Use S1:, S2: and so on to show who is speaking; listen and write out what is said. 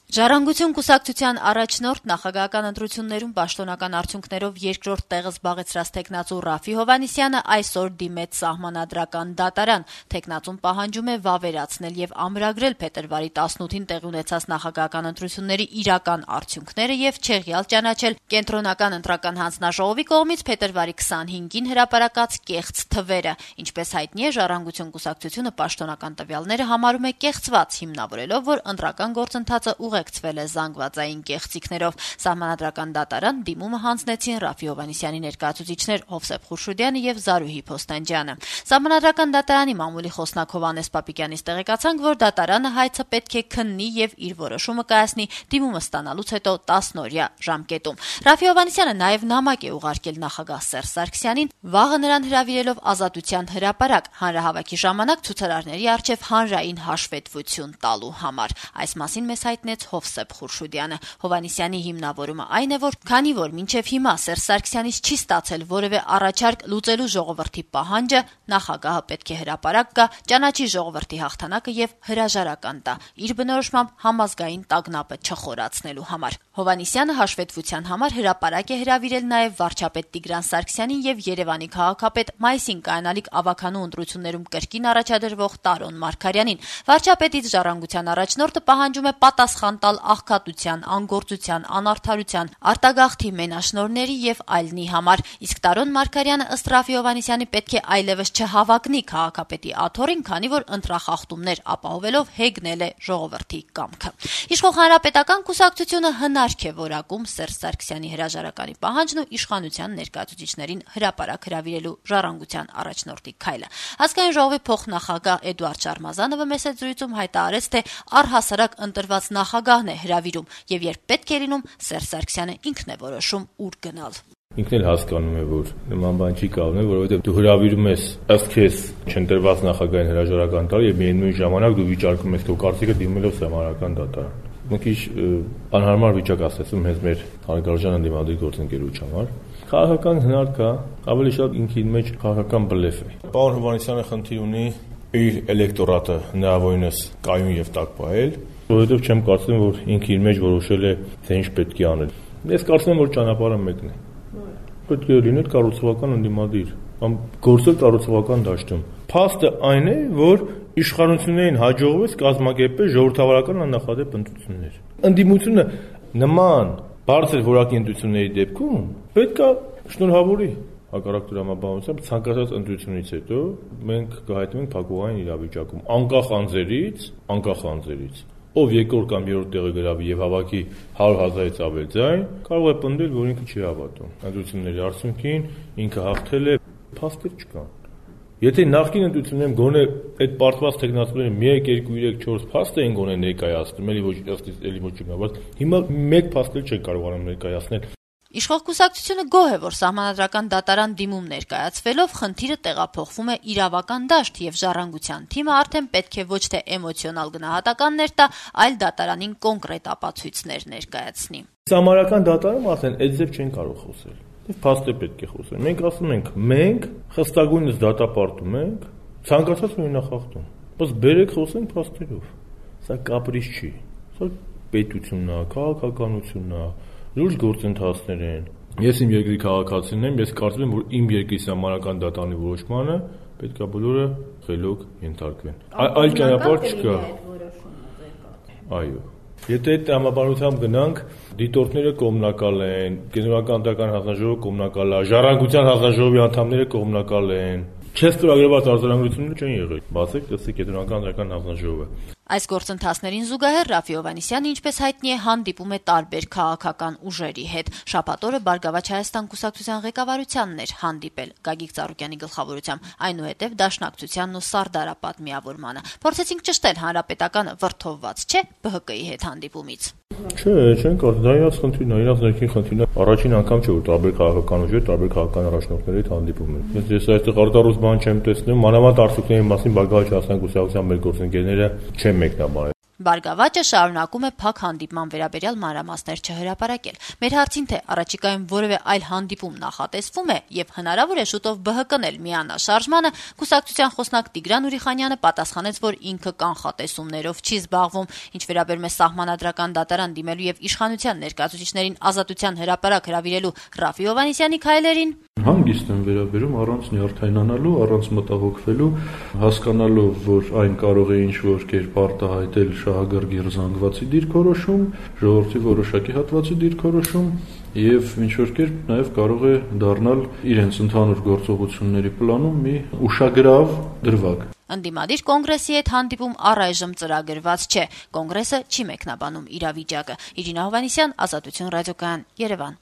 S1: Ժառանգություն կուսակցության առաջնորդ նախագահական ընտրություններում պաշտոնական արդյունքներով երկրորդ տեղը զբաղեցրած թեկնածու Ռաֆի Հովհաննիսյանը այսօր դիմեց սահմանադրական դատարան։ Թեկնածուն պահանջում է վավերացնել եւ ամրագրել փետրվարի 18-ին տեղի ունեցած նախագահական ընտրությունների իրական արդյունքները եւ չեղյալ ճանաչել կենտրոնական ընտրական հանձնաժողովի կողմից փետրվարի 25-ին հրապարակած կեղծ թվերը։ Ինչպես հայտնի է, Ժառանգություն կուսակցությունը պաշտոնական տվյալները համարում է կեղծված, հիմնավորելով, որ ընտրական գործընթացը ուղեկցվել է զանգվածային կեղծիքներով։ Սահմանադրական դատարան դիմումը հանձնեցին Ռաֆի Հովհաննիսյանի ներկայացուցիչներ Հովսեփ Խուրշուդյանը եւ Զարուհի Փոստանջյանը։ Սահմանադրական դատարանի մամուլի խոսնակ Հովհաննես Պապիկյանից տեղեկացանք, որ դատարանը հայցը պետք է քննի եւ իր որոշումը կայացնի դիմումը ստանալուց հետո 10-օրյա ժամկետում։ Ռաֆի Հովհաննիսյանը նաեւ նամակ է ուղարկել նախագահ Սերժ Սարգսյանին, վաղը նրան հրավիրելով Ազատության հրապարակ հանրահավաքի ժամանակ ցուցարարների առջև հանրային հաշվետվություն տալու համար։ Այս մասին մեզ հայտնեց Հովսեփ Խուրշուդյանը։ Հովհաննիսյանի հիմնավորումը այն է, որ քանի որ մինչև հիմա Սերժ Սարգսյանից չի ստացել որևէ առաջարկ լուծելու ժողովրդի պահանջը, նախագահը պետք է հրապարակ գա, ճանաչի ժողովրդի հաղթանակը եւ հրաժարական տա, իր բնորոշմամբ համազգային տագնապը չխորացնելու համար։ Հովհաննիսյանը հաշվետվության համար հրապարակ է հրավիրել նաեւ վարչապետ Տիգրան Սարգսյանին եւ Երևանի քաղաքապետ մայիսին կայանալիք ավականու ընտրություններում կրկին առաջադրվող Տարոն Մարգարյանին։ Վարչապետից Ժառանգության առաջնորդը պահանջում է պատասխան տալ աղքատության, անգործության, անարդարության, արտագաղթի մենաշնորհների եւ այլնի համար։ Իսկ Տարոն Մարգարյանը ըստ Ռաֆի Հովհաննիսյանի պետք է այլևս չհավակնի քաղաքապետի աթոռին, քանի որ ընտրախախտումներ ապահովելով հեգնել է ժողովրդի կամքը։ Իշխող Հանրապետական կուսակցությունը հնարք է որակում Սերժ Սարգսյանի հրաժարականի պահանջն ու իշխանության ներկայացուցիչներին հրապարակ հրավիրելու Ժառանգության առաջնորդի քայլը։ Ազգային ժողովի փոխնախագահ Էդուարդ Շարմազանովը մեծ զրույցում հայտարարեց, թե առհասարակ ընտրված նախագահն է հրավիրում եւ երբ պետք է լինում, Սերժ Սարգսյանը ինքն է որոշում ուր գնալ։
S2: Ինքն էլ հասկանում է, որ նման բան չի կարող, որովհետեւ դու հրավիրում ես ըստ քեզ չընտրված նախագահային հրաժարական տալ եւ միայն նույն ժամանակ դու վիճարկում ես քո կարծիքը դիմելով սահմանադրական դատարան։ Մի քիչ անհարմար վիճակ ասեցում հենց մեր հարգարժան ընդդիմադիր գործընկերության համար։ Քաղաքական հնարքը ավելի շատ ինքին մեջ քաղաքական բլեֆ է։ Պարոն Հովհաննիսյանը խնդիր ունի իր էլեկտորատը հնարավորինս կայուն եւ տաք պահել, որովհետեւ չեմ կարծում, որ ինքը իր մեջ որոշել է, թե ինչ պետք է անել։ Ես կարծում եմ, որ ճանապարհը մեկն է։ Պետք է լինել կառուցողական ընդդիմադիր, կամ գործել կառուցողական դաշտում։ Փաստը այն է, որ իշխանություններին հաջողվեց կազմակերպել ժողովրդավարական աննախադեպ ընտրություններ։ Ընդդիմությունը նման բարձր որակի ընտրությունների դեպքում պետք է շնորհավորի հակառակ դրամաբանությամբ ցանկացած ընտրությունից հետո մենք կհայտնվենք փակուղային իրավիճակում, անկախ անձերից, ով երկրորդ կամ երրորդ տեղը գրավի եւ հավաքի 100,000-ից ավել ձայն, կարող է պնդել, որ ինքը չի հավատում ընտրությունների արդյունքին, ինքը հաղթել է, փաստեր չկան։ Եթե նախկին ընտրություններում գոնե այդ պարտված տեխնացիաները 1, 2, 3, 4 փաստ էին գոնե ներկայացնում, էլի ոչ չգնա, հիմա մեկ փաստ էլ չեն կարողանում ներկայացնել։
S1: Իշխող կուսակցությունը գոհ է, որ սահմանադրական դատարան դիմում ներկայացվելով խնդիրը տեղափոխվում է իրավական դաշտ եւ Ժառանգության թիմը արդեն պետք է ոչ թե էմոցիոնալ գնահատականներ տա, այլ դատարանին կոնկրետ ապացույցներ ներկայացնի։
S2: Սահմանադրական դատարանում արդեն այդ ձև չեն կարող խոսել։ Եվ փաստը պետք է խոսել։ Մենք ասում ենք, մենք խստագույնս դատապարտում ենք, ցանկացած մենախախտում։ Բայց բերեք խոսենք փաստերով։ Սա կապրիչ չի։ Սա պետությունն է, քաղաքականությունն է, լուրջ գործընթացներ են։ Ես իմ երկրի քաղաքացին եմ, ես կարծում եմ, որ իմ երկրի սահմանադրական դատարանի որոշմանը պետք է բոլորը խելոք ենթարկվեն։ Այլ ճանապարհ չկա։ Այո։ Եթե այդ տրամաբանությամբ գնանք, դիտորդները կողմնակալ են, կենտրոնական ընտրական հանձնաժողովը կողմնակալ է, Ժառանգության հանձնաժողովի անդամները կողմնակալ են։ Չես ծրագրված արձանագրությունները չեն եղել։ Բացեք, տեսեք կենտրոնական ընտրական հանձնաժողովը։
S1: Այս գործընթացներին զուգահեռ Ռաֆի Հովհաննիսյանը, ինչպես հայտնի է, հանդիպում է տարբեր քաղաքական ուժերի հետ։ Շաբաթ օրը Բարգավաճ Հայաստան կուսակցության ղեկավարությանն էր հանդիպել Գագիկ Ծառուկյանի գլխավորությամբ, այնուհետև Դաշնակցությանն ու Սարդարապատ միավորմանը։ Փորձեցինք ճշտել հանրապետականը վրդովված չէ ԲՀԿ-ի հետ հանդիպումից։
S2: Չէ, չեն կարող, դա իրաց խնդիրն է, իրաց ներքին խնդիրն է։ Առաջին անգամ չէ, որ տարբեր քաղաքական ուժեր, տարբեր քաղաքական առաջնորդների հետ հանդիպում են։ Ես այստեղ արտարուս բան չեմ տեսնում, մանավանդ արդյունքների մասին Բարգավաճ Հայաստան կուսակցության մեր գործընկերները չեն մեկնաբանել։
S1: Բարգավաճը շարունակում է փակ հանդիպման վերաբերյալ մանրամասներ չհրապարակել։ Մեր հարցին, թե առաջիկայում որևէ այլ հանդիպում նախատեսվում է եւ հնարավոր է շուտով ԲՀԿ-ն միանաշարժմանը, կուսակցության խոսնակ Տիգրան Ուրիխանյանը պատասխանեց, որ ինքը կանխատեսումներով չի զբաղվում։ Ինչ վերաբերում է սահմանադրական դատարան դիմելու եւ իշխանության ներկայացուցիչներին ազատության հրապարակ հրավիրելու Ռաֆի Հովհաննիսյանի քայլերին,
S3: հանգիստ են վերաբերում, առանց նյարդայնանալու, առանց մտահոգվելու, հասկանալով, որ այն կարող է ինչ-որ կերպ արտահայտել շահագրգիռ զանգվածի դիրքորոշում, ժողովրդի որոշակի հատվածի դիրքորոշում եւ ինչ-որ կերպ նաեւ կարող է դառնալ իրենց ընդհանուր գործողությունների պլանում մի ուշագրավ դրվագ։
S1: Ընդդիմադիր կոնգրեսի հետ հանդիպում առայժմ ծրագրված չէ։ Կոնգրեսը չի մեկնաբանում իրավիճակը։ Իրինա Հովհաննիսյան, Ազատություն ռադիոկայան, Երևան։